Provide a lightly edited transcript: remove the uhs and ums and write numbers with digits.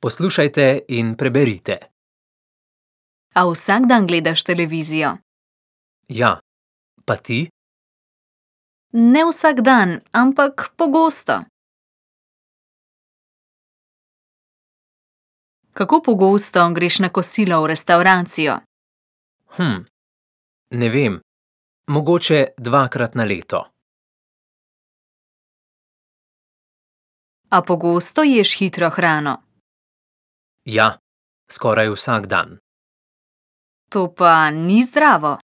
Poslušajte in preberite. A vsak dan gledaš televizijo? Ja, pa ti? Ne vsak dan, ampak pogosto. Kako pogosto greš na kosilo v restavracijo? Ne vem. Mogoče 2-krat na leto. A pogosto ješ hitro hrano? Ja, skoraj vsak dan. To pa ni zdravo.